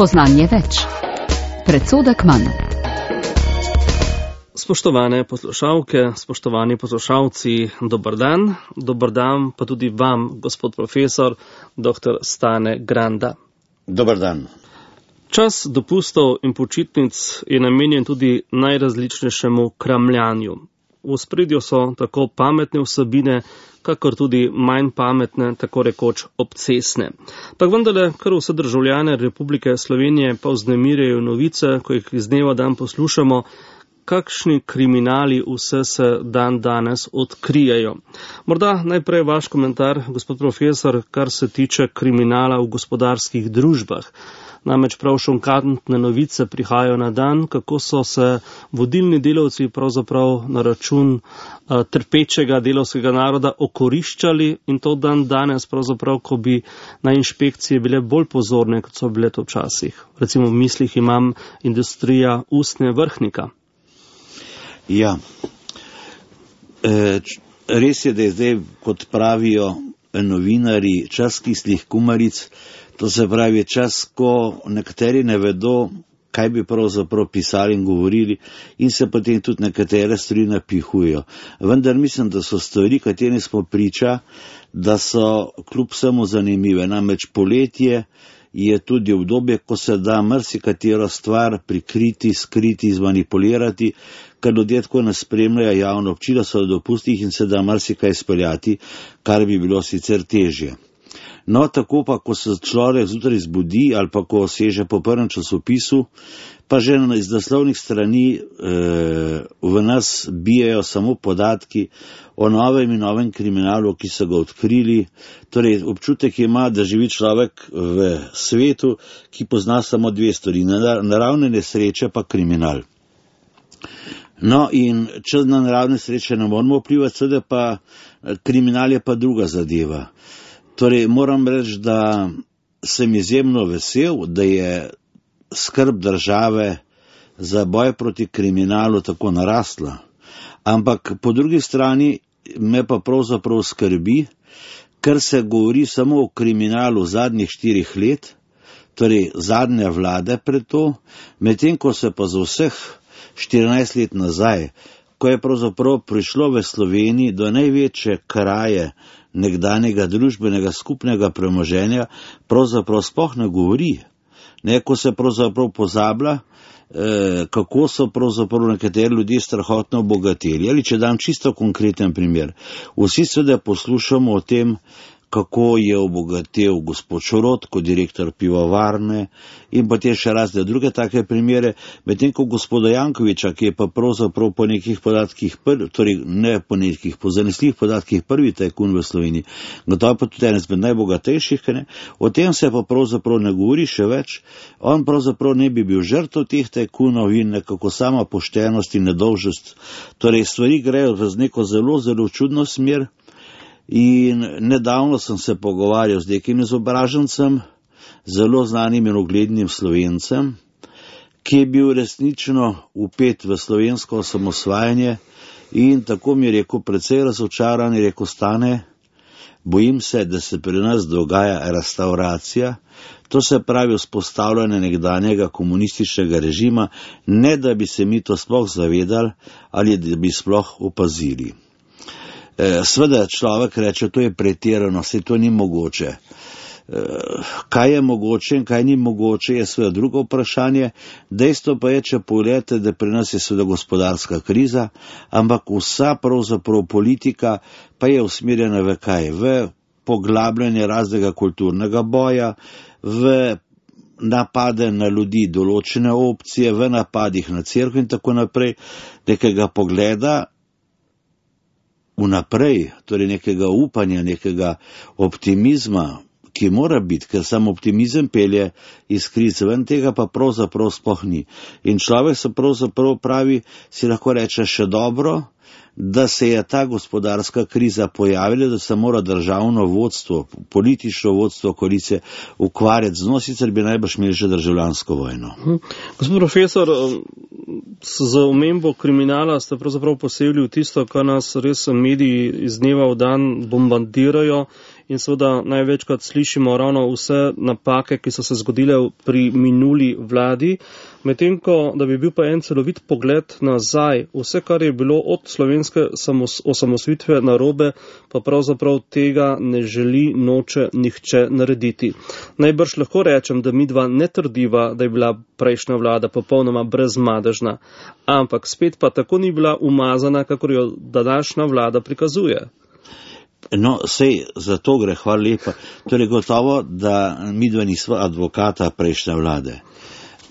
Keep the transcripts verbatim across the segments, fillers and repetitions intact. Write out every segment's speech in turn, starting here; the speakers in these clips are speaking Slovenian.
Spoznanje več. Predsodek manj. Spoštovane poslušalke, spoštovani poslušalci, dober dan. Dober dan pa tudi vam, gospod profesor, doktor Stane Granda. Dober dan. Čas dopustov in počitnic je namenjen tudi najrazličnejšemu kramljanju. V ospredju so tako pametne vsebine, kakor tudi manj pametne, tako rekoč obcestne. Pa vendarle, kar vse državljane Republike Slovenije pa vznemirjajo novice, ko jih iz dneva dan poslušamo, kakšni kriminali vse se dan danes odkrijajo. Morda najprej vaš komentar, gospod profesor, kar se tiče kriminala v gospodarskih družbah. Namreč prav šokantne novice prihajajo na dan, kako so se vodilni delavci pravzaprav na račun uh, trpečega delavskega naroda okoriščali in to dan danes pravzaprav, ko bi na inšpekcije bile bolj pozorne, kot so bile to včasih. Recimo v mislih imam industrija ustne vrhnika. Ja, e, res je, da je zdaj, kot pravijo novinari, čas kislih kumaric. To se pravi čas, ko nekateri ne vedo, kaj bi pravzaprav pisali in govorili in se potem tudi nekatere stvari napihujejo. Vendar mislim, da so stvari, kateri smo priča, da so kljub vsemu zanimive. Namreč poletje je tudi obdobje, ko se da marsikatero stvar prikriti, skriti, zmanipulirati, ker ljudje tako ne spremljajo javno občila, so v dopustih in se da marsikaj speljati, kar bi bilo sicer težje. No, tako pa, ko se človek zjutraj zbudi ali pa ko seže po prvem časopisu, pa že iz naslovnih strani e, v nas bijajo samo podatki o novem in novem kriminalu, ki so ga odkrili. Torej, občutek ima, da živi človek v svetu, ki pozna samo dve stvari, naravne nesreče pa kriminal. No, in če na naravne sreče ne moramo vplivati, seveda pa kriminal je pa druga zadeva. Torej, moram reči, da sem izjemno vesel, da je skrb države za boj proti kriminalu tako narasla. Ampak po drugi strani me pa pravzaprav skrbi, ker se govori samo o kriminalu zadnjih štirih let, torej zadnje vlade pred to, medtem ko se pa za vseh štirinajst let nazaj, ko je pravzaprav prišlo v Sloveniji do največje kraje nekdanjega družbenega skupnega premoženja, pravzaprav sploh ne govori. Ne, ko se pravzaprav pozablja, eh, kako so pravzaprav nekateri ljudje strahotno obogateli. Ali če dam čisto konkreten primer. Vsi seveda poslušamo o tem, kako je obogatel gospod Šorot kot direktor pivovarne in potem še razne druge take primere, medtem ko gospoda Jankoviča, ki je pa pravzaprav po nekih podatkih, prvi, torej ne po nekih, po zanesljivih podatkih prvi tajkun v Sloveniji, gotovo pa tudi eden izmed najbogatejših, ne? O tem se pa pravzaprav ne govori še več, on pravzaprav ne bi bil žrtev teh tajkunov in nekako sama poštenost in nedolžnost. Torej stvari grejo v neko zelo, zelo čudno smer. In nedavno sem se pogovarjal z nekim izobražencem, zelo znanim in uglednim Slovencem, ki je bil resnično vpet v slovensko osamosvajanje in tako mi je rekel, precej razočaran, je rekel, Stane, bojim se, da se pri nas dogaja restauracija, to se pravi vzpostavljanje nekdanjega komunističnega režima, ne da bi se mi to sploh zavedali ali da bi sploh opazili. Sveda človek reče, to je pretirano, saj to ni mogoče. Kaj je mogoče in kaj ni mogoče, je sveda drugo vprašanje. Dejstvo pa je, če pogledate, da pri nas je sveda gospodarska kriza, ampak vsa pravzaprav politika pa je usmerjena v kaj? V poglabljanje raznega kulturnega boja, v napade na ljudi določene opcije, v napadih na cerkev in tako naprej, nekega pogleda vnaprej, torej nekega upanja, nekega optimizma, ki mora biti, ker sam optimizem pelje iz krize, ven tega pa pravzaprav sploh ni. In človek se pravzaprav pravi, si lahko reče še dobro, da se je ta gospodarska kriza pojavila, da se mora državno vodstvo, politično vodstvo koalicije ukvarjati z njo, sicer bi najbrž imeli že državljansko vojno. Hm. Gospod profesor, z omembo kriminala ste pravzaprav posegli v tisto, kar nas res mediji iz dneva v dan bombardirajo in seveda največkrat slišimo ravno vse napake, ki so se zgodile pri minuli vladi, medtem ko, da bi bil pa en celovit pogled nazaj, vse, kar je bilo od slovenske osamosvojitve narobe, pa pravzaprav tega ne želi, noče nihče narediti. Najbrž lahko rečem, da midva ne trdiva, da je bila prejšnja vlada popolnoma brezmadežna, ampak spet pa tako ni bila umazana, kakor jo današnja vlada prikazuje. No, sej, za to gre, hvala lepa. Torej, gotovo, da midva nisva advokata prejšnje vlade.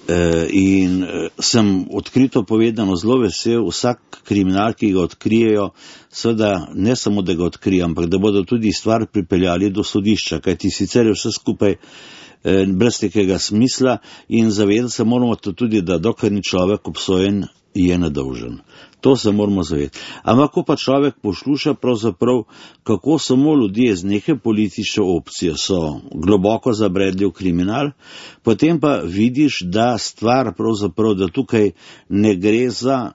E, in sem odkrito povedano zelo vesel, vsak kriminal, ki ga odkrijejo, seveda ne samo, da ga odkrijo, ampak da bodo tudi stvar pripeljali do sodišča, kajti sicer je vse skupaj e, brez nekega smisla in zavedati se moramo tudi, da dokler ni človek obsojen, je nedolžen. To se moramo zavedati. Ampak, ko pa človek posluša pravzaprav, kako samo ljudje z neke politične opcije so globoko zabredli v kriminal, potem pa vidiš, da stvar pravzaprav, da tukaj ne gre za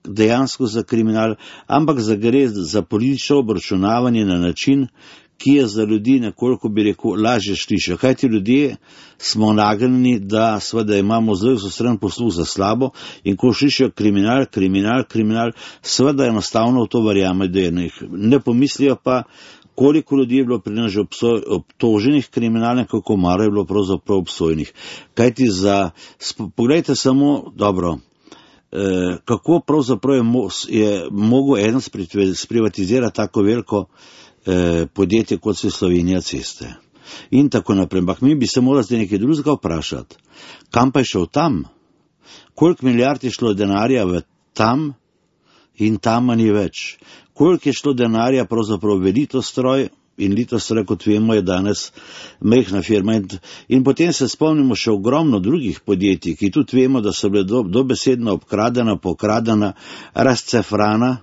dejansko za kriminal, ampak za gre za politično obračunavanje na način, ki je za ljudi nekoliko, bi rekel, lažje slišati. Kaj ti ljudje smo nagnjeni, da seveda imamo zelo izostren posluh za slabo in ko slišijo kriminal, kriminal, kriminal, seveda enostavno v to verjame, da je nekaj. Ne pomislijo pa, koliko ljudi je bilo pri nas že obtoženih kriminalnih, kako malo je bilo pravzaprav obsojenih. Kaj ti za, pogledajte samo, dobro, eh, kako pravzaprav je, mo, je mogel eden sprivatizirati tako veliko podjetje, kot so Slovenija ceste. In tako naprej. Ampak mi bi se morali zdaj nekaj drugega vprašati. Kam pa je šel tam? Koliko milijard je šlo denarja v tam in tam ni več? Koliko je šlo denarja pravzaprav v Litostroj? In Litostroj, kot vemo, je danes majhna firma. In, in potem se spomnimo še ogromno drugih podjetij, ki tudi vemo, da so bile do, dobesedno obkradena, pokradena, razcefrana.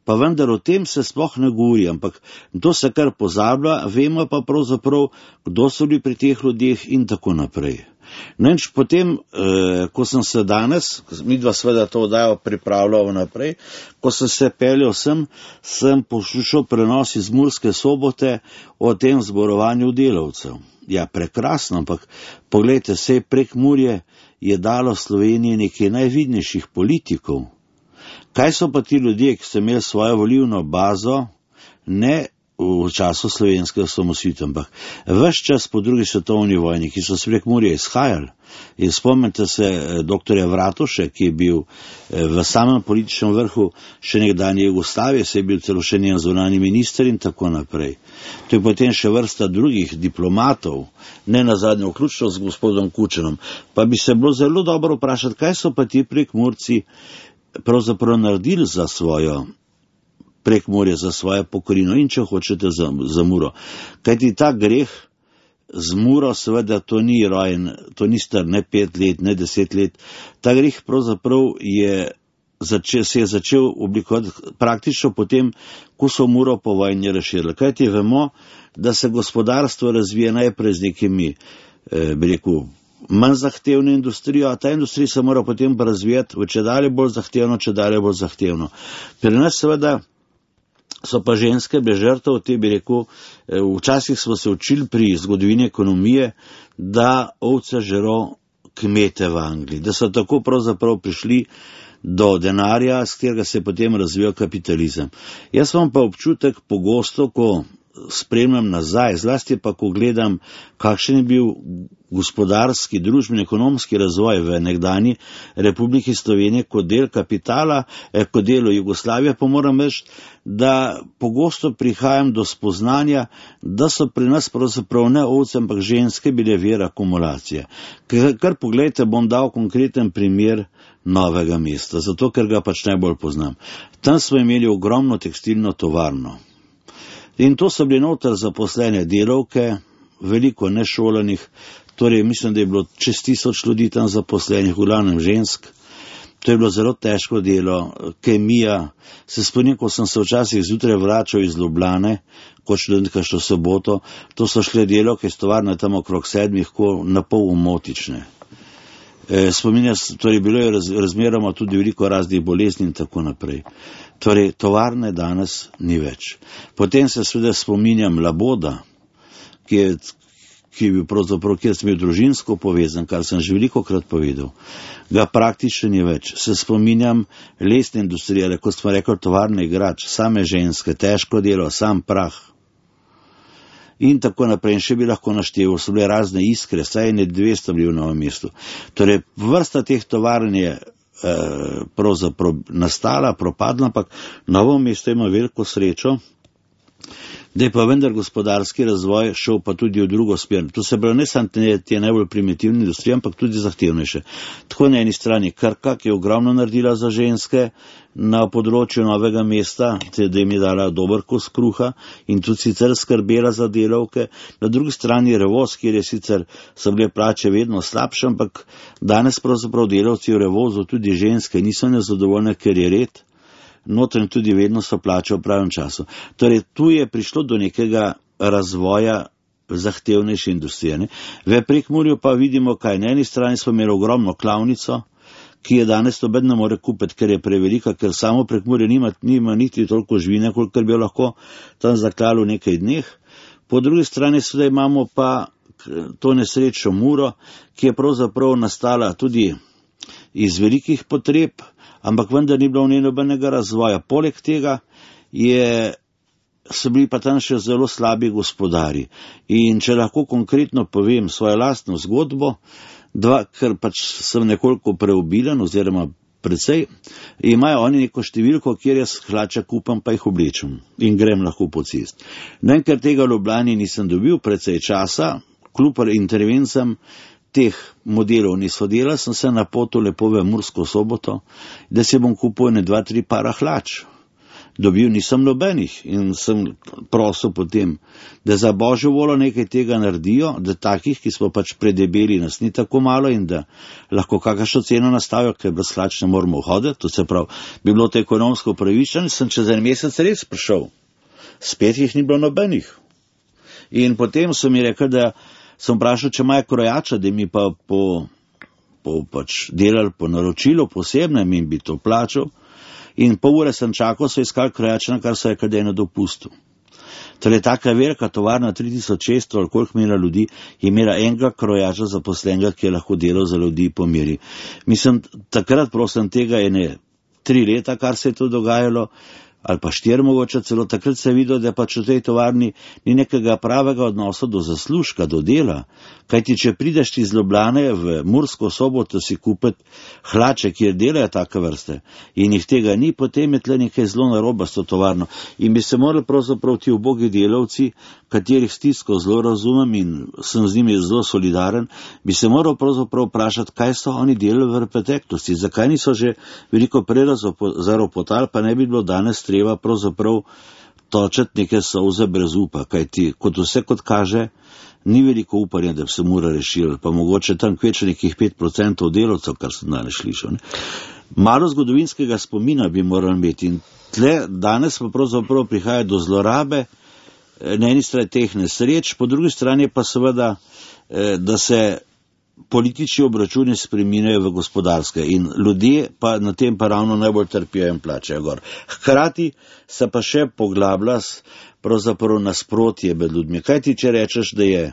Pa vendar o tem se sploh ne govori, ampak to se kar pozablja, vemo pa pravzaprav, kdo so bili pri teh ljudeh in tako naprej. No in potem, eh, ko sem se danes, midva seveda to oddajo pripravljal naprej, ko sem se peljal sem, sem poslušal prenos iz Murske Sobote o tem zborovanju delavcev. Ja, prekrasno, ampak poglejte, sej Prekmurje je dalo Sloveniji nekaj najvidnejših politikov. Kaj so pa ti ljudje, ki so imeli svojo volilno bazo, ne v času slovenske osamosvojitve, ampak ves čas po drugi svetovni vojni, ki so s Prekmurja izhajali. In spomnite se doktorja Vratuše, ki je bil v samem političnem vrhu še nekdanje Jugoslavije, se je bil celo še njen zunanji minister in tako naprej. To je potem še vrsta drugih diplomatov, ne nazadnje vključno z gospodom Kučanom. Pa bi se bilo zelo dobro vprašati, kaj so pa ti Prekmurci pravzaprav naredili za svojo Prekmurje, za svojo pokrajino in če hočete za, za Muro. Kajti ta greh z Muro, seveda to ni rojen, to ni star ne pet let, ne deset let. Ta greh pravzaprav je začel, se je začel oblikovati praktično potem, ko so Muro po vojni razširili. Kajti vemo, da se gospodarstvo razvije najprej z nekimi, eh, bi rekel, manj zahtevno industrijo, a ta industrija se mora potem razvijati v čedalje bolj zahtevno, čedalje bolj zahtevno. Pri nas seveda so pa ženske brez žrtev, te bi rekel, včasih smo se učili pri zgodovini ekonomije, da ovce žero kmete v Angliji, da so tako pravzaprav prišli do denarja, s katerega se je potem razvijal kapitalizem. Jaz imam pa občutek pogosto, ko spremljam nazaj, zlasti pa ko gledam, kakšen je bil gospodarski, družbeni, ekonomski razvoj v nekdanji Republiki Slovenije kot del kapitala, eh, kot delo Jugoslavije, pa moram reči, da pogosto prihajam do spoznanja, da so pri nas pravzaprav ne ovce, ampak ženske bile vir akumulacije. Kar, kar pogledajte, bom dal konkreten primer Novega mesta, zato ker ga pač najbolj poznam. Tam smo imeli ogromno tekstilno tovarno. In to so bili noter zaposlene delavke, veliko nešolanih, torej mislim, da je bilo čez tisoč ljudi tam zaposlenih, v glavnem žensk. To je bilo zelo težko delo, kemija. Se spomnim, ko sem se včasih zjutraj vračal iz Ljubljane, kot študentka što soboto, to so šle delavke iz tovarne tam okrog sedmih, ko na pol umotične. E, spominjam, torej bilo je raz, razmeroma tudi veliko raznih bolezni in tako naprej. Torej, tovarne danes ni več. Potem se seveda spominjam Laboda, ki je, ki je bil pravzaprav, kjer sem bil družinsko povezan, kar sem že veliko krat povedal, ga praktično ni več. Se spominjam lesne industrije, kot smo rekli, tovarne igrač, same ženske, težko delo, sam prah. In tako naprej, in še bi lahko našteval, so bile razne iskre, saj ne dvesto bili v Novem mestu. Torej, vrsta teh tovarn je eh, pravzaprav nastala, propadla, ampak Novo mesto ima veliko srečo, da je pa vendar gospodarski razvoj šel pa tudi v drugo smer. To se pravi, ne samo te najbolj primitivne industrije, ampak tudi zahtevnejše. Tako na eni strani Krka, ki je ogromno naredila za ženske na področju Novega mesta, da jim je dala dober kos kruha in tudi sicer skrbela za delavke. Na drugi strani Revoz, kjer je sicer so bile plače vedno slabše, ampak danes pravzaprav delavci v Revozu, tudi ženske, niso nezadovoljne, ker je red. Notranj tudi vedno so plače v pravem času. Torej, tu je prišlo do nekega razvoja zahtevnejše industrije. Ne? V Prekmurju pa vidimo, kaj na eni strani smo imeli ogromno klavnico, ki je danes noben ne more kupiti, ker je prevelika, ker samo Prekmurje nima, nima niti toliko živine, kolikor bi jo lahko tam zaklalo v nekaj dneh. Po drugi strani sedaj imamo pa to nesrečo Muro, ki je pravzaprav nastala tudi iz velikih potreb, ampak vendar ni bilo v njej nobenega razvoja. Poleg tega je, so bili pa tam še zelo slabi gospodari. In če lahko konkretno povem svojo lastno zgodbo, dva, ker pač sem nekoliko preobilen oziroma precej, imajo oni neko številko, kjer jaz hlače kupam, pa jih oblečem in grem lahko po cest. No, in ker tega v Ljubljani nisem dobil precej časa, kljub intervencam teh modelov niso delali, sem se napotil lepo v Mursko Soboto, da si bom kupil ne dva, tri para hlač. Dobil nisem nobenih in sem prosil potem, da za Božjo voljo nekaj tega naredijo, da takih, ki smo pač predebeli, nas ni tako malo in da lahko kakšno ceno nastavijo, ker brez hlač ne moramo hoditi, to se pravi, bi bilo to ekonomsko pravično, sem čez en mesec res prišel. Spet jih ni bilo nobenih. In potem so mi rekli, da sem vprašal, če imajo krojača, da mi pa po, po pač delali po naročilu posebnem in bi to plačal. In pol ure sem čakal, so iskali krojača, kar so rekli, da je na dopustu. Torej, taka velika tovarna, tri tisoč šeststo ali koliko imela ljudi, je imela enega krojača zaposlenega, ki je lahko delal za ljudi po meri. Mislim, takrat prosim tega je ne tri leta, kar se je to dogajalo, ali pa štiri mogoče celo, takrat se je videl, da pač v tej tovarni ni nekega pravega odnosa do zaslužka, do dela. Kajti, če prideš iz Ljubljane v Mursko Soboto si kupiti hlače, kjer delajo take vrste in jih tega ni, potem je tle nekaj zelo naroba s to tovarno. In bi se morali pravzaprav ti ubogi delavci, katerih stisko zelo razumem in sem z njimi zelo solidaren, bi se moral pravzaprav vprašati, kaj so oni delali v preteklosti, zakaj niso že veliko prej zaropotali, pa ne bi bilo danes treba pravzaprav točeti neke solze brez upa, kajti kot vse kot kaže, ni veliko upanja, da bi se Mura rešila, pa mogoče tam kveče nekih pet procentov delavcev, kar sem danes slišal. Ne? Malo zgodovinskega spomina bi morali imeti in tle danes pa pravzaprav prihaja do zlorabe, na eni strani teh nesreč, po drugi strani pa seveda, da se politični obračuni spreminjajo v gospodarske in ljudje pa na tem pa ravno najbolj trpijo in plačajo gor. Hkrati se pa še poglablja pravzaprav nasprotje med ljudmi. Kaj ti, če rečeš, da je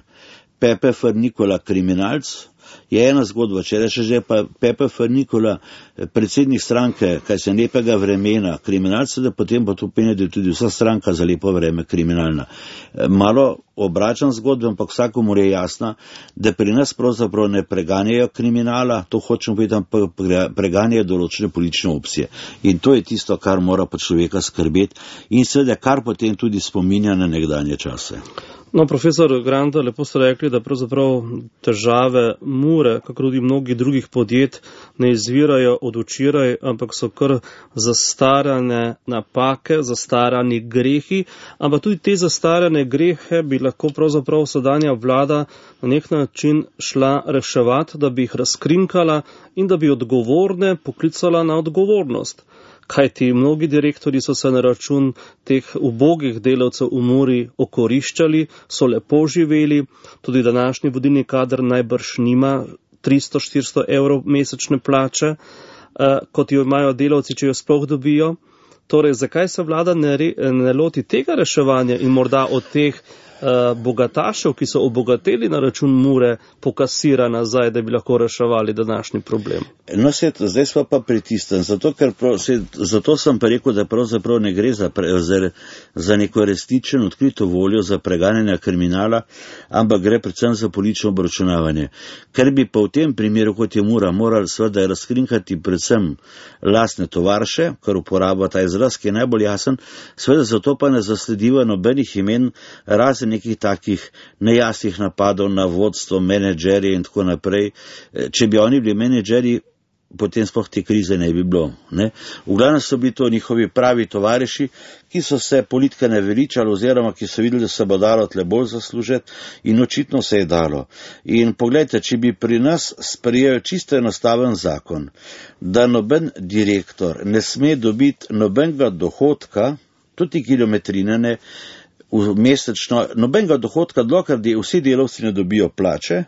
Pepe Frnikola kriminalc, je ena zgodba, če rečeš, da je pa Pepe Frnikola predsednik stranke, kaj se lepega vremena kriminalca, da potem pa to pomeni, da je tudi vsa stranka za lepo vreme kriminalna. Malo obračam zgodbo, ampak vsakomur je jasna, da pri nas pravzaprav ne preganjajo kriminala, to hočem povedati, pa preganjajo določene politične opcije. In to je tisto, kar mora pa človeka skrbeti in seveda, kar potem tudi spominja na nekdanje čase. No, profesor Granda, lepo ste rekli, da pravzaprav težave Mure, kako tudi mnogih drugih podjet, ne izvirajo od včeraj, ampak so kar zastarane napake, zastarani grehi, ampak tudi te zastarane grehe bi lahko pravzaprav sedanja vlada na nek način šla reševati, da bi jih razkrinkala in da bi odgovorne poklicala na odgovornost. Kajti mnogi direktori so se na račun teh ubogih delavcev v Muri okoriščali, so lepo živeli, tudi današnji vodilni kader najbrž nima tristo štiristo evrov mesečne plače, eh, kot jo imajo delavci, če jo sploh dobijo. Torej, zakaj se vlada ne, re, ne loti tega reševanja in morda od teh bogatašev, ki so obogateli na račun Mure, pokasira nazaj, da bi lahko reševali današnji problem. No, se, zdaj smo pa pritisnjeni, zato, ker prav, se, zato sem pa rekel, da pravzaprav ne gre za, pre, za, za neko resničen, odkrito voljo za preganjanje kriminala, ampak gre predvsem za politično obračunavanje. Ker bi pa v tem primeru, kot je Mura, morali seveda razkrinkati predvsem lastne tovarše, kar uporaba ta izraz, ki je najbolj jasen, seveda zato pa ne zaslediva nobenih imen, razen nekih takih nejasnih napadov na vodstvo, menedžerje in tako naprej. Če bi oni bili menedžeri, potem sploh te krize ne bi bilo. Ne? V glavnem so bili to njihovi pravi tovariši, ki so se politika ne veličali oziroma ki so videli, da se bo dalo tle bolj zaslužiti in očitno se je dalo. In pogledajte, če bi pri nas sprejel čisto enostaven zakon, da noben direktor ne sme dobiti nobenega dohodka, tudi kilometrine ne, mesečno, nobenega dohodka, dokler vsi delavci ne dobijo plače,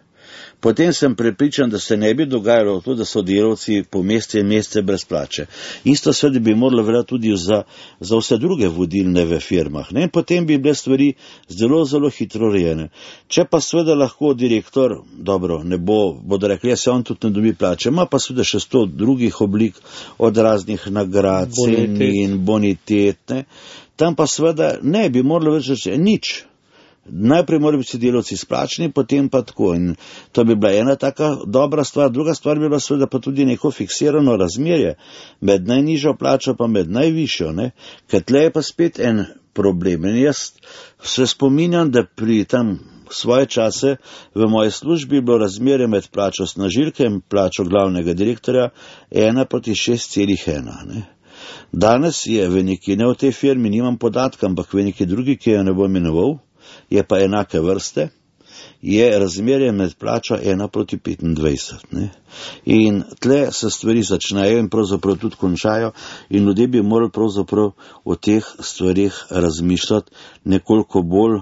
potem sem prepričan, da se ne bi dogajalo to, da so delavci po mesece in mesece brez plače. Isto seveda bi moralo veljati tudi za, za vse druge vodilne v firmah. Ne? Potem bi bile stvari zelo, zelo hitro rejene. Če pa seveda lahko direktor, dobro, ne bo, bodo rekli, se on tudi ne dobi plače, ima pa seveda še sto drugih oblik od raznih nagrad, ceni in bonitet. Ne? Tam pa seveda ne bi moralo več reči nič. Najprej morajo biti delavci izplačeni, potem pa tako. In to bi bila ena taka dobra stvar. Druga stvar bi bila seveda pa tudi neko fiksirano razmerje med najnižjo plačo pa med najvišjo. Ne? Ker tle je pa spet en problem. In jaz se spominjam, da pri tam svoje čase v moji službi je bilo razmerje med plačo snažilke in plačo glavnega direktorja ena proti šest celih ena. Ne? Danes je v neki, ne v tej firmi, nimam podatka, ampak v neki drugi, ki jo ne bom imenoval, je pa enake vrste, je razmerje med plačo ena proti petindvajset. Ne? In tle se stvari začnejo in pravzaprav tudi končajo in ljudje bi morali pravzaprav o teh stvarih razmišljati nekoliko bolj,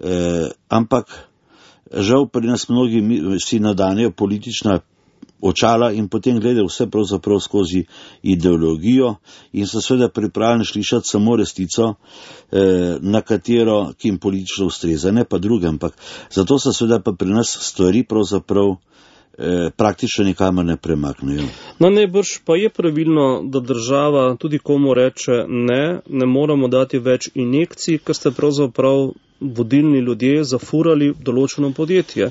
eh, ampak žal pri nas mnogi si nadanejo politična očala in potem gledajo vse pravzaprav skozi ideologijo in so seveda pripravljeni slišati samo resnico, eh, na katero, ki jim politično ustreza, ne pa druge, ampak zato so seveda pa pri nas stvari pravzaprav eh, praktično nikamor ne premaknejo. No, najbrž pa je pravilno, da država tudi komu reče ne, ne moramo dati več injekcij, ker ste pravzaprav vodilni ljudje zafurali določeno podjetje.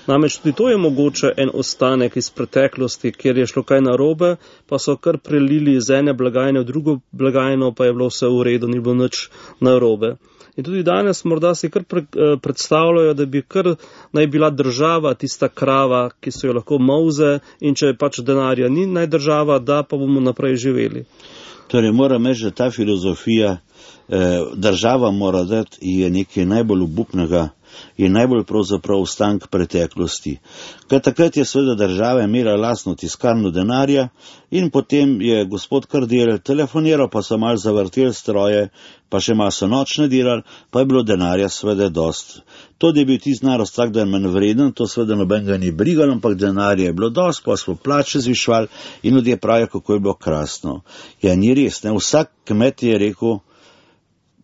Namreč tudi to je mogoče en ostanek iz preteklosti, kjer je šlo kaj narobe, pa so kar prelili iz ene blagajne v drugo blagajno, pa je bilo vse v redu, ni bilo nič narobe. In tudi danes morda si kar pre, predstavljajo, da bi kar naj bila država tista krava, ki so jo lahko molze in če pač denarja ni, naj država da, pa bomo naprej živeli. Torej, moram reči, da ta filozofija eh, država mora dati je nekaj najbolj obupnega in najbolj pravzaprav ostank preteklosti. Ker takrat je seveda država imela lastno tiskarno denarja in potem je gospod kar delal, telefoniral, pa so malo zavrtel stroje, pa še malo so nočne delali, pa je bilo denarja seveda dost. To, da je bil tisti narost tak, da je manj vreden, to seveda nobenega ni brigal, ampak denarja je bilo dost, pa smo plače zvišvali in ljudje pravijo, kako je bilo krasno. Ja, ni res, ne? Vsak kmet je rekel,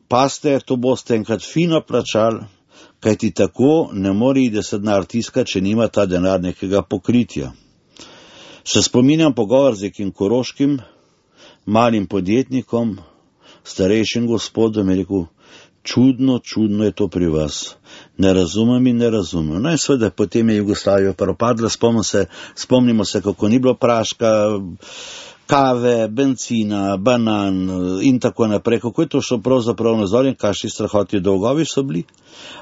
paste, to boste enkrat fino plačali, kajti tako ne more iti se denar tiska, če nima ta denar nekega pokritja. Se spominjam pogovor z nekim koroškim malim podjetnikom, starejšim gospodom, je rekel, čudno, čudno je to pri vas. Ne razumem in ne razumem. No in seveda potem je Jugoslavija propadla, spomnimo se, spomnimo se, kako ni bilo praška, kave, benzina, banan in tako naprej, kako je to šlo pravzaprav nazor in kakšni strahoti dolgovi so bili.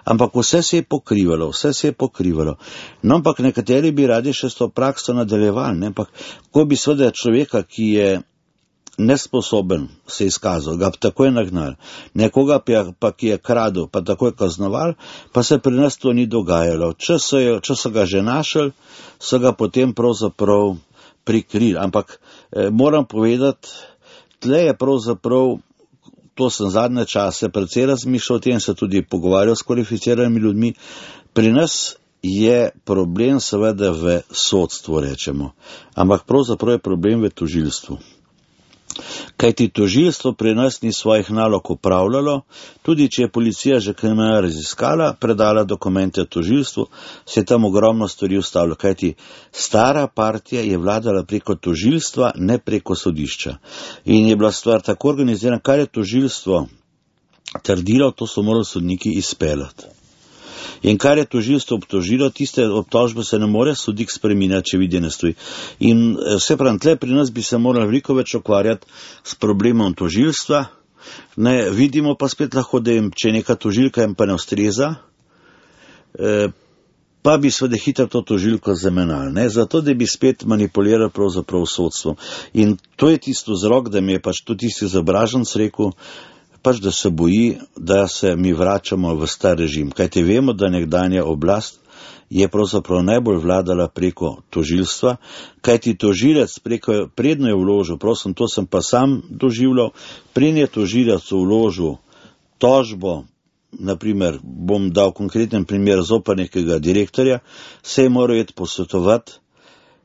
Ampak vse se je pokrivalo, vse se je pokrivalo. No, ampak nekateri bi radi še s to prakso nadaljevali, ne? Ampak ko bi seveda človeka, ki je nesposoben se izkazal, ga takoj nagnal, nekoga pa, ki je kradel, pa takoj kaznoval, pa se pri nas to ni dogajalo. Če so, je, če so ga že našli, so ga potem pravzaprav prikrili. Ampak eh, moram povedati, tle je pravzaprav, to sem zadnje čase precej razmišljal, o tem se tudi pogovarjal s kvalificiranimi ljudmi, pri nas je problem seveda v sodstvu, rečemo, ampak pravzaprav je problem v tožilstvu. Kajti tožilstvo pri nas ni svojih nalog upravljalo, tudi če je policija že kriminal raziskala, predala dokumente tožilstvu, se je tam ogromno stvari ustavilo. Kajti stara partija je vladala preko tožilstva, ne preko sodišča. In je bila stvar tako organizirana, kar je tožilstvo trdilo, to so morali sodniki izpeljati. In kar je tožilstvo obtožilo, tiste obtožbe se ne more sodnik spreminjati, če vidi ne stoji. In vse pravim, tle pri nas bi se morali veliko več ukvarjati s problemom tožilstva. Ne, vidimo pa spet lahko, da jim, če neka tožilka jim pa ne ustreza, eh, pa bi seveda hitro to tožilko zamenjali, ne, zato da bi spet manipulirali pravzaprav sodstvom. In to je tisto vzrok, da mi je pač tudi tisti izobraženec rekel, pač da se boji, da se mi vračamo v star režim. Kajte vemo, da nekdanja oblast je pravzaprav najbolj vladala preko tožilstva, kajti tožilec preko, predno je vložil, prosim, to sem pa sam doživljal, predno je tožilec vložil tožbo, naprimer, bom dal konkreten primer zoper nekega direktorja, se je moral iti posvetovati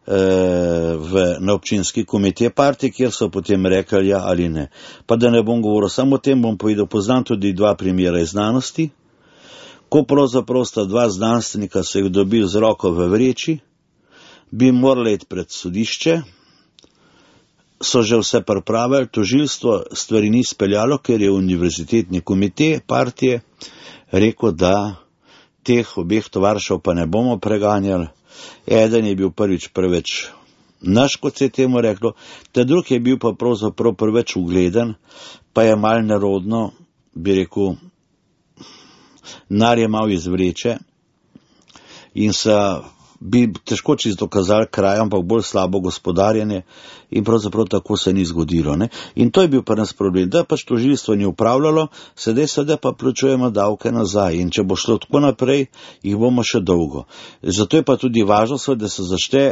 V, na občinski komitej partije, kjer so potem rekli ja ali ne. Pa da ne bom govoril samo o tem, bom povedal, poznam tudi dva primera iz znanosti, ko pravzaprav sta dva znanstvenika se jih dobili z roko v vreči, bi morali iti pred sodišče, so že vse pripravili, tožilstvo stvari ni speljalo, ker je univerzitetni komitej partije rekel, da teh obeh tovaršev pa ne bomo preganjali. Eden je bil prvič preveč naš, kot se je temu reklo, ta drug je bil pa pravzaprav preveč ugleden, pa je mal nerodno, bi rekel, nar je mal iz vreče in se bi težko čisto dokazali kraj, ampak bolj slabo gospodarjenje in pravzaprav tako se ni zgodilo. Ne? In to je bil pa nas problem, da pač tožilstvo ni upravljalo, sedaj sedaj pa plačujemo davke nazaj in če bo šlo tako naprej, jih bomo še dolgo. Zato je pa tudi važno, da se zašte,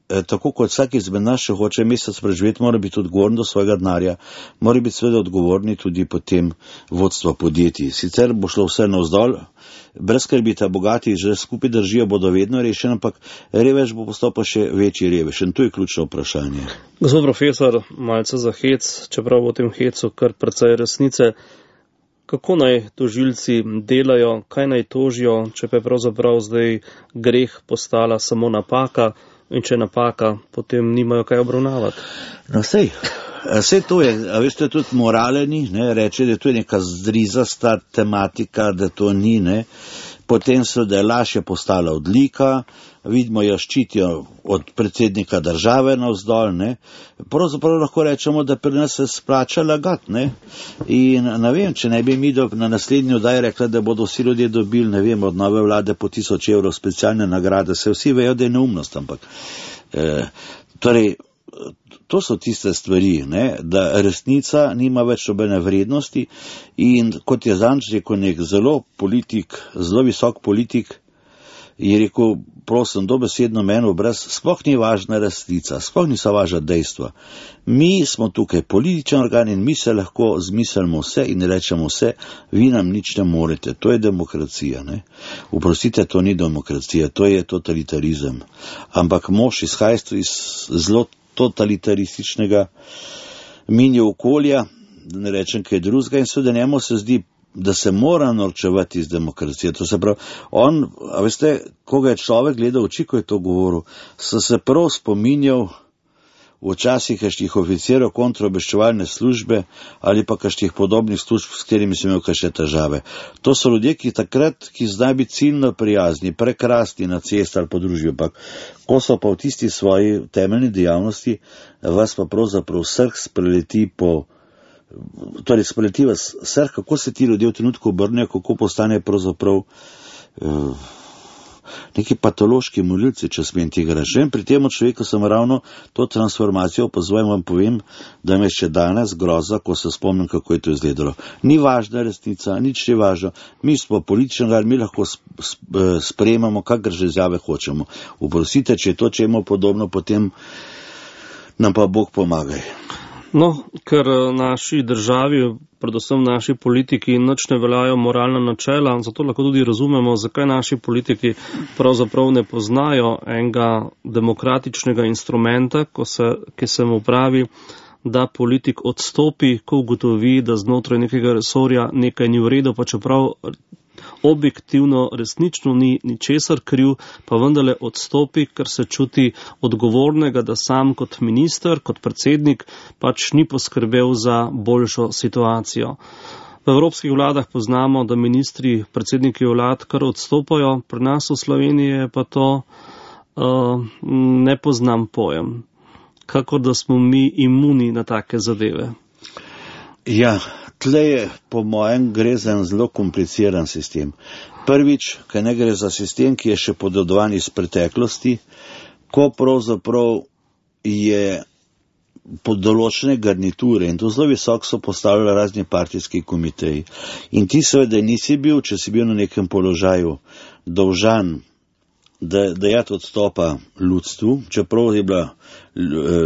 eh, tako kot vsak izmed nas, če hoče mesec preživeti, mora biti odgovoren do svojega denarja, mora biti seveda odgovorni tudi potem vodstvo podjetij. Sicer bo šlo vse navzdol, brez skrbi, ta bogati že skupaj držijo, bodo vedno rešeni, ampak revež bo postal pa še večji revež. In to je ključno vprašanje. Gospod profesor, malce za hec, čeprav v tem hecu kar precej resnice, kako naj tožilci delajo, kaj naj tožijo, če pa je pravzaprav zdaj greh postala samo napaka in če napaka, potem nimajo kaj obravnavati? No sej, vse to je, a veste, tudi moraleni, ne, reče, da to je neka zdrizasta tematika, da to ni, ne, potem se, da je laž je postala odlika, vidimo, jo ščitijo od predsednika države navzdol, ne, pravzaprav lahko rečemo, da pri nas se splača lagati, ne, in ne vem, če ne bi mi do, na naslednji oddaji rekla, da bodo vsi ljudje dobili, ne vem, od nove vlade po tisoč evrov specialne nagrade, se vsi vejo, da je neumnost, ampak, eh, torej, to so tiste stvari, ne, da resnica nima več nobene vrednosti in kot je zanč rekel nek zelo politik, zelo visok politik, je rekel, prosim, dobesedno meni obraz, sploh ni važna resnica, sploh niso važna dejstva. Mi smo tukaj političen organ in mi se lahko zmislimo vse in rečemo vse, vi nam nič ne morete, to je demokracija, ne. Oprostite, to ni demokracija, to je totalitarizem. Ampak mož izhaja iz zelo totalitarističnega minje okolja, da ne rečem kaj drugega, in seveda njemu se zdi, da se mora norčevati iz demokracije. To se pravi, on, a veste, koga je človek gledal oči, ko je to govoril, so se prav spominjal včasih kakšnih oficirov kontraobveščevalne službe ali pa kakšnih podobnih služb, s katerimi sem imel kakšne težave. To so ljudje, ki takrat, ki znajo biti ciljno prijazni, prekrasni na cesti ali po družbi, ampak ko so pa v tisti svoji temeljni dejavnosti, vas pa pravzaprav srh spreleti po, torej spreleti vas srh, kako se ti ljudje v trenutku obrnejo, kako postane pravzaprav uh, neki patološki molilci, če smem tega reči. Pri tem človeku sem ravno to transformacijo opazoval in vam povem, da me še danes groza, ko se spomnim, kako je to izgledalo. Ni važna resnica, nič ni važno. Mi smo politični, mi lahko sprejemamo, kakor že izjave hočemo. Oprostite, če je to čemu podobno, potem nam pa Bog pomagaj. No, ker naši državi, predvsem naši politiki, nič ne veljajo moralna načela, zato lahko tudi razumemo, zakaj naši politiki pravzaprav ne poznajo enega demokratičnega instrumenta, ko se, ki se mu pravi da politik odstopi, ko ugotovi, da znotraj nekega resorja nekaj ni v redu, pa čeprav objektivno resnično ni ničesar kriv, pa vendarle odstopi, ker se čuti odgovornega, da sam kot minister, kot predsednik pač ni poskrbel za boljšo situacijo. V evropskih vladah poznamo, da ministri, predsedniki vlad kar odstopajo, pri nas v Sloveniji je pa to uh, ne poznam pojem. Kako da smo mi imuni na take zadeve? Ja, tle je, po mojem, gre za en zelo kompliciran sistem. Prvič, ker ne gre za sistem, ki je še podedovan iz preteklosti, ko pravzaprav je pod določene garniture in to zelo visoko so postavljali razni partijski komiteji. In ti seveda nisi bil, če si bil na nekem položaju, dolžan da dajati odstopa ljudstvu, čeprav je bila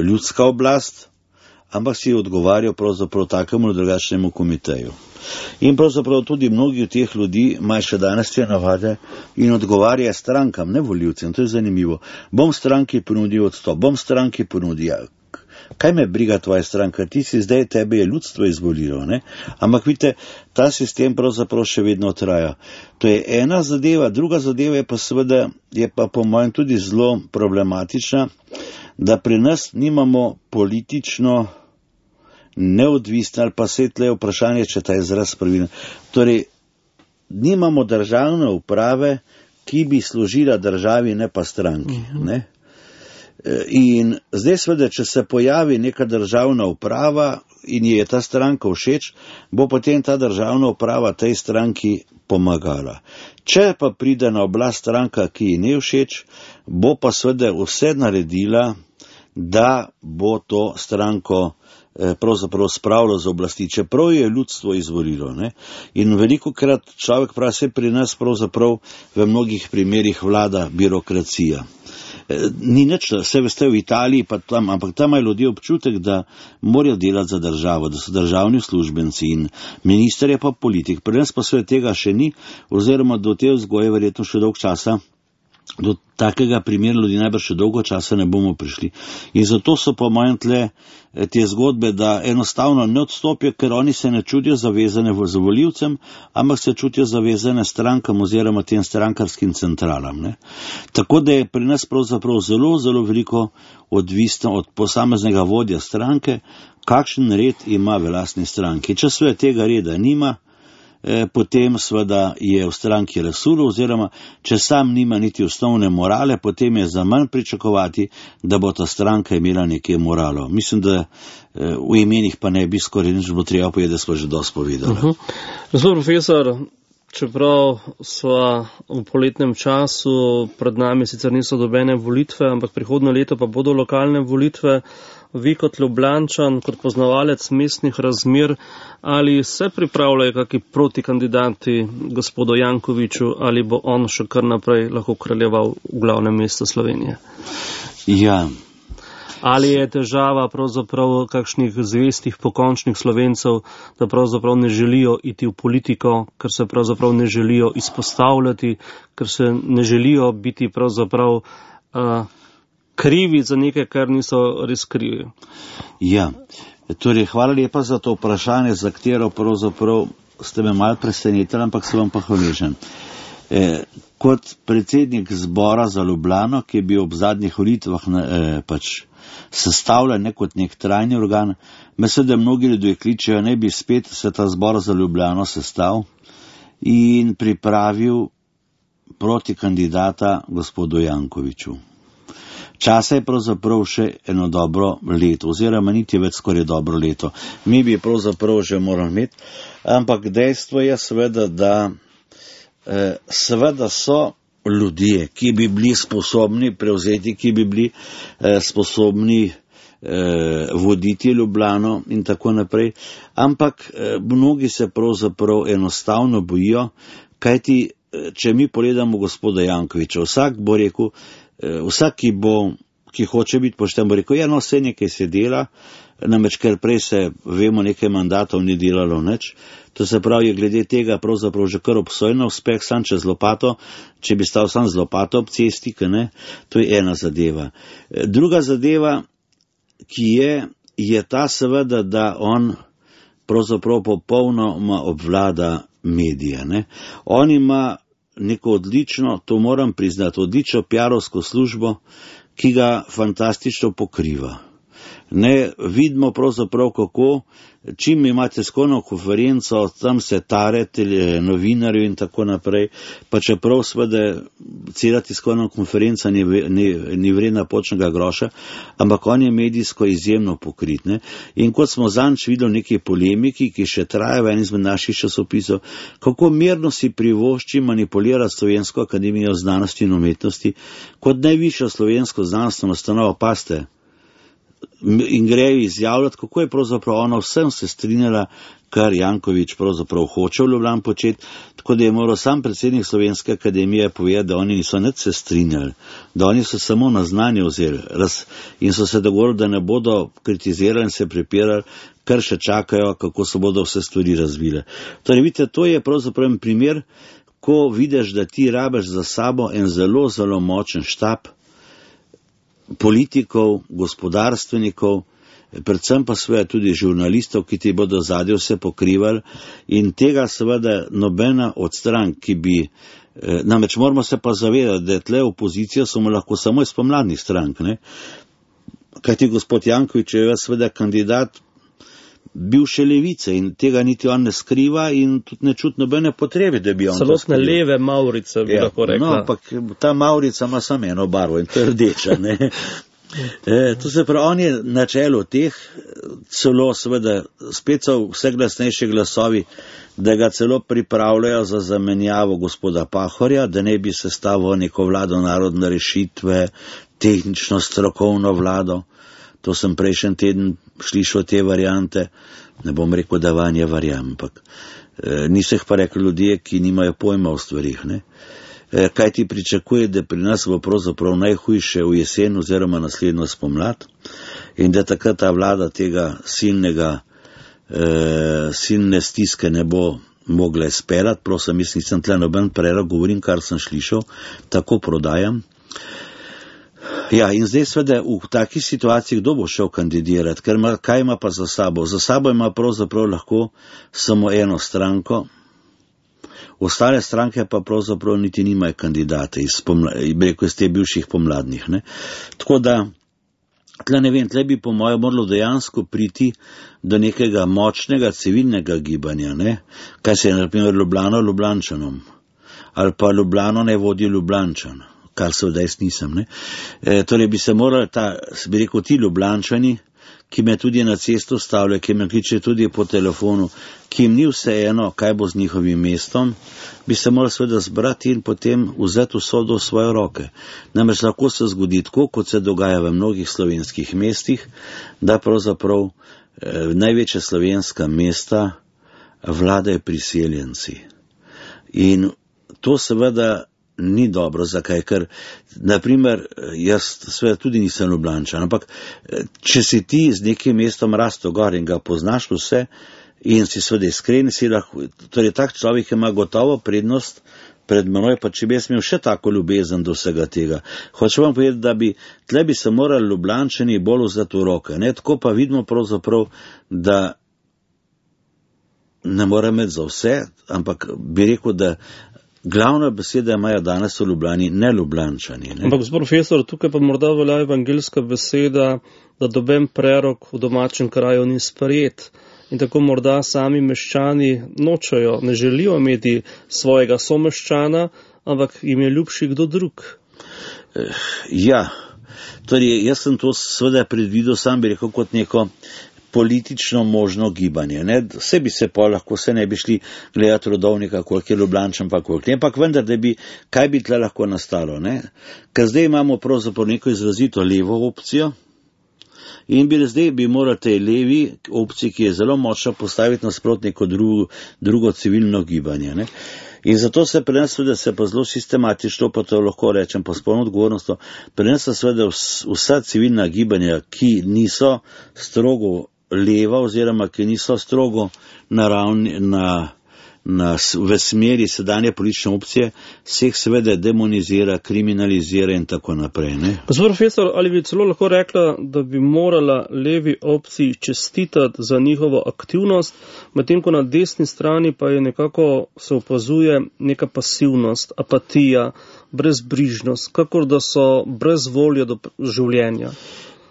ljudska oblast, ampak si odgovarjal pravzaprav takemu drugačnemu komiteju. In pravzaprav tudi mnogi od teh ljudi imajo še danes te navade in odgovarja strankam, ne volivcem, to je zanimivo. Bom stranki ponudil odstop, bom stranki ponudil. Kaj me briga tvoja stranka, ti si zdaj, tebe je ljudstvo izvolilo, ne? Ampak vidite, ta sistem pravzaprav še vedno traja. To je ena zadeva, druga zadeva je pa seveda, je pa po mojem tudi zelo problematična, da pri nas nimamo politično neodvisno, ali pa se tle vprašanje, če ta izraz pravilno. Torej, nimamo državne uprave, ki bi služila državi, ne pa stranki, ne? In zdaj seveda, če se pojavi neka državna uprava in je ta stranka všeč, bo potem ta državna uprava tej stranki pomagala. Če pa pride na oblast stranka, ki ji ne všeč, bo pa seveda vse naredila, da bo to stranko pravzaprav spravilo z oblasti, čeprav je ljudstvo izvolilo, ne? In veliko krat človek pravi, se pri nas pravzaprav v mnogih primerih vlada birokracija. Ni nič, vse veste v Italiji, pa tam, ampak tam imajo ljudje občutek, da morajo delati za državo, da so državni uslužbenci in minister je pa politik. Pri nas pa sve tega še ni, oziroma do te vzgoje verjetno še dolg časa, do takega primera ljudi najbrž še dolgo časa ne bomo prišli. In zato so po mojem tle te zgodbe, da enostavno ne odstopijo, ker oni se ne čutijo zavezane z volivcem, ampak se čutijo zavezane strankam oziroma tem strankarskim centralam, ne. Tako da je pri nas pravzaprav zelo, zelo veliko odvisno od posameznega vodja stranke, kakšen red ima v lastni stranki. Če sve tega reda nima, potem seveda je v stranki razsulo, oziroma če sam nima niti osnovne morale, potem je za manj pričakovati, da bo ta stranka imela nekaj moralo. Mislim, da v imenih pa ne bi skoraj nič bilo treba povedati, da smo že dosti povedali. Uh-huh. Gospod profesor, čeprav sva v poletnem času, pred nami sicer niso dobene volitve, ampak prihodnje leto pa bodo lokalne volitve, vi kot Ljubljančan, kot poznavalec mestnih razmer, ali se pripravljajo kakšni protikandidati gospodu Jankoviću, ali bo on še kar naprej lahko kraljeval v glavnem mestu Slovenije? Ja. Ali je težava pravzaprav kakšnih zvestih pokončnih Slovencev, da pravzaprav ne želijo iti v politiko, ker se pravzaprav ne želijo izpostavljati, ker se ne želijo biti pravzaprav uh, krivi za nekaj, kar niso res krivi. Ja, torej hvala lepa za to vprašanje, za katero pravzaprav ste me malo presenetili, ampak se vam pa hvaležen. E, kot predsednik zbora za Ljubljano, ki je bil ob zadnjih volitvah e, pač sestavljen ne kot nek trajni organ, mislim, da mnogi ljudje kličejo, ne bi spet se ta zbor za Ljubljano sestav in pripravil proti kandidata gospodu Jankoviću. Časa je pravzaprav še eno dobro leto, oziroma niti več skoraj dobro leto. Mi bi pravzaprav že morali imeti, ampak dejstvo je seveda, da eh, seveda so ljudje, ki bi bili sposobni prevzeti, ki bi bili eh, sposobni eh, voditi Ljubljano in tako naprej, ampak eh, mnogi se pravzaprav enostavno bojijo, kajti eh, če mi pogledamo gospoda Jankovića, vsak bo rekel, vsak, ki bo, ki hoče biti pošten, bo rekel, ja, no, vse nekaj se dela, namreč ker prej se, vemo, nekaj mandatov ni delalo nič, to se pravi, je glede tega pravzaprav že kar obsojno uspeh, sam čez lopato, če bi stal sam z lopato ob cesti, ne, to je ena zadeva. Druga zadeva, ki je, je ta seveda, da on pravzaprav popolnoma obvlada medije. Ne? On ima neko odlično, to moram priznati, odlično piarovsko službo, ki ga fantastično pokriva. Ne, vidimo pravzaprav kako, čim imate skorno konferenco, tam se tarete novinarjev in tako naprej, pa čeprav seveda cela tiskovna konferenca ni, ni, ni vredna počnega groša, ampak on je medijsko izjemno pokrit. Ne? In kot smo zanč videli v neki polemiki, ki še traja v enem izmed naših časopisov, kako mirno si privošči manipulirati Slovensko akademijo znanosti in umetnosti kot najvišjo slovensko znanstveno ustanovo, paste, in grejo izjavljati, kako je pravzaprav ona vsem se strinjala, kar Janković pravzaprav hoče v Ljubljani početi, tako da je moral sam predsednik Slovenske akademije povedati, da oni niso nič se strinjali, da oni so samo na znanje vzeli in so se dogovorili, da ne bodo kritizirali in se prepirali, kar še čakajo, kako se bodo vse stvari razvile. Torej, vidite, to je pravzaprav en primer, ko vidiš, da ti rabiš za sabo en zelo, zelo močen štab politikov, gospodarstvenikov, predvsem pa seveda tudi žurnalistov, ki ti bodo zadnje vse pokrivali, in tega seveda nobena od strank, ki bi, namreč moramo se pa zavedati, da tle opozicija so lahko samo iz pomladnih strank, ne? Kajti gospod Janković je seveda kandidat bivše levice in tega niti on ne skriva in tudi ne čuti nobene potrebe, da bi on to skrival. Celotne leve Maurice, bi ja, lahko rekla. No, ampak ta Maurica ima samo eno barvo in to je rdeča, ne. E, to se pravi, on je na čelu teh, celo seveda, spet so vse glasnejši glasovi, da ga celo pripravljajo za zamenjavo gospoda Pahorja, da ne bi sestavil neko vlado narodne rešitve, tehnično strokovno vlado. To sem prejšnji teden slišal te variante, ne bom rekel, da vanje verjamem, ampak e, niso jih pa rekli ljudje, ki nimajo pojma o stvarih. Ne? E, kaj ti pričakuje, da pri nas bo pravzaprav najhujše v jesen oziroma naslednjo spomlad in da takrat ta vlada tega silnega, e, silne stiske ne bo mogla izpeljati, prosim, mislim, nisem tle noben prerok, govorim, kar sem slišal, tako prodajam. Ja, in zdaj sveda v takih situacijah kdo bo šel kandidirati, ker ima, kaj ima pa za sabo? Za sabo ima pravzaprav lahko samo eno stranko, ostale stranke pa pravzaprav niti nimajo kandidate iz, pomla, iz te bivših pomladnih. Ne? Tako da, tle ne vem, tle bi po mojem moralo dejansko priti do nekega močnega civilnega gibanja, ne? Kaj se je na primer Ljubljano Ljubljančanom, ali pa Ljubljano ne vodi Ljubljančan, kar se vdaj nisem. Ne? E, torej bi se morali, ta, bi rekel, ti Ljubljančani, ki me tudi na cesto stavljajo, ki me kliče tudi po telefonu, ki jim ni vseeno, kaj bo z njihovim mestom, bi se morali seveda zbrati in potem vzeti usodo v svoje roke. Namreč lahko se zgodi tako, kot se dogaja v mnogih slovenskih mestih, da pravzaprav eh, največja slovenska mesta vladajo priseljenci. In to seveda ni dobro, zakaj, ker, naprimer, jaz seveda tudi nisem Ljubljančan, ampak če si ti z nekim mestom rasto gor in ga poznaš vse in si seveda iskren, si lahko, torej tak človek ima gotovo prednost pred menoj, pa če bi jaz imel še tako ljubezen do vsega tega. Hočem vam povedati, da bi, tle bi se morali Ljubljančani bolj vzeti v roke, ne, tako pa vidimo pravzaprav, da ne mora imeti za vse, ampak bi rekel, da glavna beseda imajo danes v Ljubljani, ne Ljubljančani. Ne? Ampak, gospod profesor, tukaj pa morda velja evangelska beseda, da doben prerok v domačem kraju ni sprejet. In tako morda sami meščani nočejo, ne želijo imeti svojega someščana, ampak jim je ljubši kdo drug. Ja, torej jaz sem to seveda predvidel, sam bi rekel kot neko politično možno gibanje. Ne? Vse bi se pa lahko, vse ne bi šli gledati rodovnika, koliko je Ljubljančan pa koliko ne, ampak vendar, da bi, kaj bi tle lahko nastalo. Ne? Ker zdaj imamo pravzaprav neko izrazito levo opcijo in bi zdaj bi morali tej levi opciji, ki je zelo močna, postaviti nasprot neko drugo, drugo civilno gibanje. Ne? In zato se pri nas seveda se pa zelo sistematično, pa to lahko rečem po spolno odgovornost, pri nas seveda vsa civilna gibanja, ki niso strogo leva oziroma ki niso strogo naravni, na, na, v smeri sedanje politične opcije, se jih seveda demonizira, kriminalizira in tako naprej. Ne? Gospod profesor, ali bi celo lahko rekla, da bi morala levi opciji čestitati za njihovo aktivnost, medtem ko na desni strani pa je nekako se opazuje neka pasivnost, apatija, brezbrižnost, kakor da so brez volje do življenja.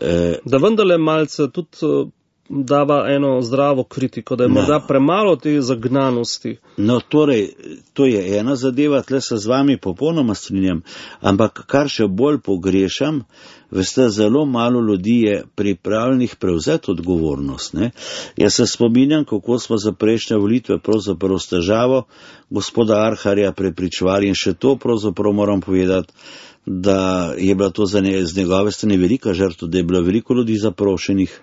E... Da vendarle malce tudi dava eno zdravo kritiko, da je morda no. premalo te zagnanosti. No, torej, to je ena zadeva, tle se z vami popolnoma strinjam, ampak kar še bolj pogrešam, veste, zelo malo ljudi je pripravljenih prevzeti odgovornost. Ne? Jaz se spominjam, kako smo za prejšnje volitve pravzaprav s težavo gospoda Arharja prepričevali in še to pravzaprav moram povedati, da je bila to za ne, z njegove strani velika žrtva, da je bilo veliko ljudi zaprošenih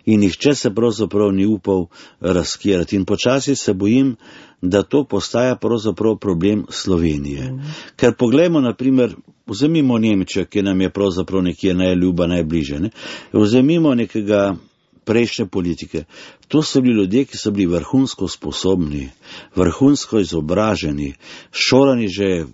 in nihče se pravzaprav ni upal razkirati. In počasi se bojim, da to postaja pravzaprav problem Slovenije. Mm. Ker poglejmo, naprimer, vzemimo Nemčijo, ki nam je pravzaprav nekje najljuba, najbliže. Ne? Vzemimo nekega prejšnje politike. To so bili ljudje, ki so bili vrhunsko sposobni, vrhunsko izobraženi, šolani že,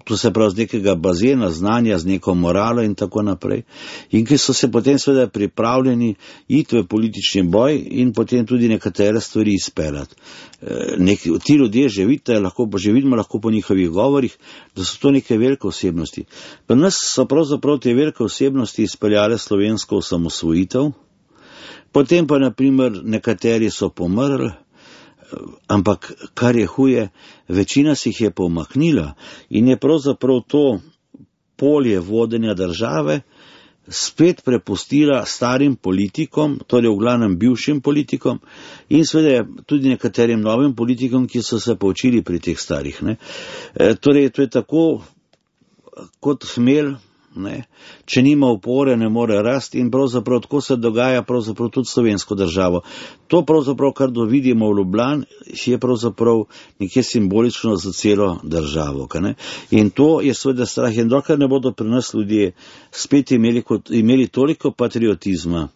to se pravi, z nekega bazena znanja, z neko moralo in tako naprej. In ki so se potem seveda pripravljeni iti v politični boj in potem tudi nekatere stvari izpeljati. Neki, ti ljudje že vidite, lahko, že vidimo lahko po njihovih govorih, da so to neke velike osebnosti. Pa nas so pravzaprav te velike osebnosti izpeljale slovensko osamosvojitev, potem pa naprimer nekateri so pomrli, ampak kar je huje, večina si jih je pomaknila in je pravzaprav to polje vodenja države spet prepustila starim politikom, torej v glavnem bivšim politikom in seveda tudi nekaterim novim politikom, ki so se poučili pri teh starih. Ne. E, torej, to je tako kot hmelj, ne. Če nima opore, ne more rasti in pravzaprav tako se dogaja pravzaprav tudi slovensko državo. To pravzaprav, kar vidimo v Ljubljani, je pravzaprav nekje simbolično za celo državo. Ne? In to je seveda strah. In dokler ne bodo pri nas ljudje spet imeli, kot, imeli toliko patriotizma,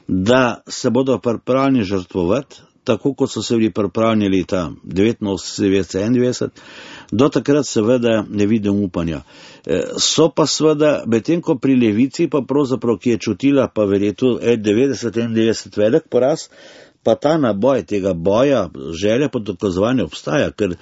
da se bodo pripravljeni žrtvovati, tako kot so se bili pripravljeni leta devetinosemdeset, devetdeset, enaindevetdeset, do takrat seveda ne vidim upanja. So pa seveda, medtem ko pri levici, pa pravzaprav, ki je čutila pa verjetno devetdeset, enaindevetdeset velik poraz, pa ta naboj tega boja, želja po dokazovanju obstaja, ker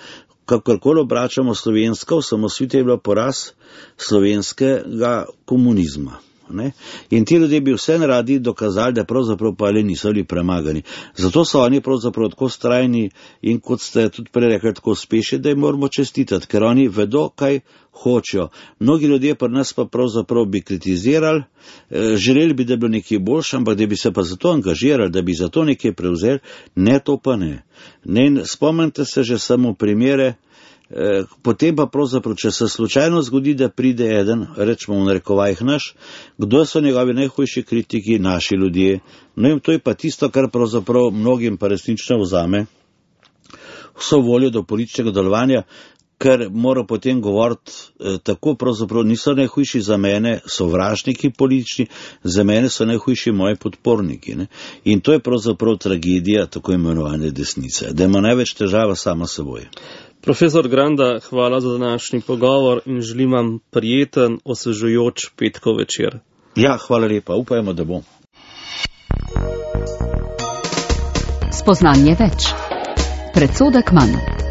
kakorkoli obračamo slovenska, osamosvojitev je bila poraz slovenskega komunizma. Ne? In ti ljudje bi vse radi dokazali, da pravzaprav pa le niso bili premagani. Zato so oni pravzaprav tako strajni in kot ste tudi prej rekli, tako uspešni, da jim moramo čestitati, ker oni vedo, kaj hočejo. Mnogi ljudje pa nas pa pravzaprav bi kritizirali, želeli bi, da bi bilo nekaj boljše, ampak da bi se pa zato angažirali, da bi zato nekaj prevzeli, ne, to pa ne. Ne, spomnite se že samo primere. Potem pa pravzaprav, če se slučajno zgodi, da pride eden, rečemo v narekovajih naš, kdo so njegovi najhujši kritiki, naši ljudje. No in to je pa tisto, kar pravzaprav mnogim pa resnično vzame vso voljo do političnega delovanja, ker mora potem govoriti eh, tako, pravzaprav niso najhujši za mene sovražniki politični, za mene so najhujši moji podporniki. Ne? In to je pravzaprav tragedija tako imenovane desnice, da ima največ težava sama seboj. Profesor Granda, hvala za današnji pogovor in želim vam prijeten, osvežujoč petkov večer. Ja, hvala lepa, upajmo, da bo. Spoznanje več. Predsodek manj.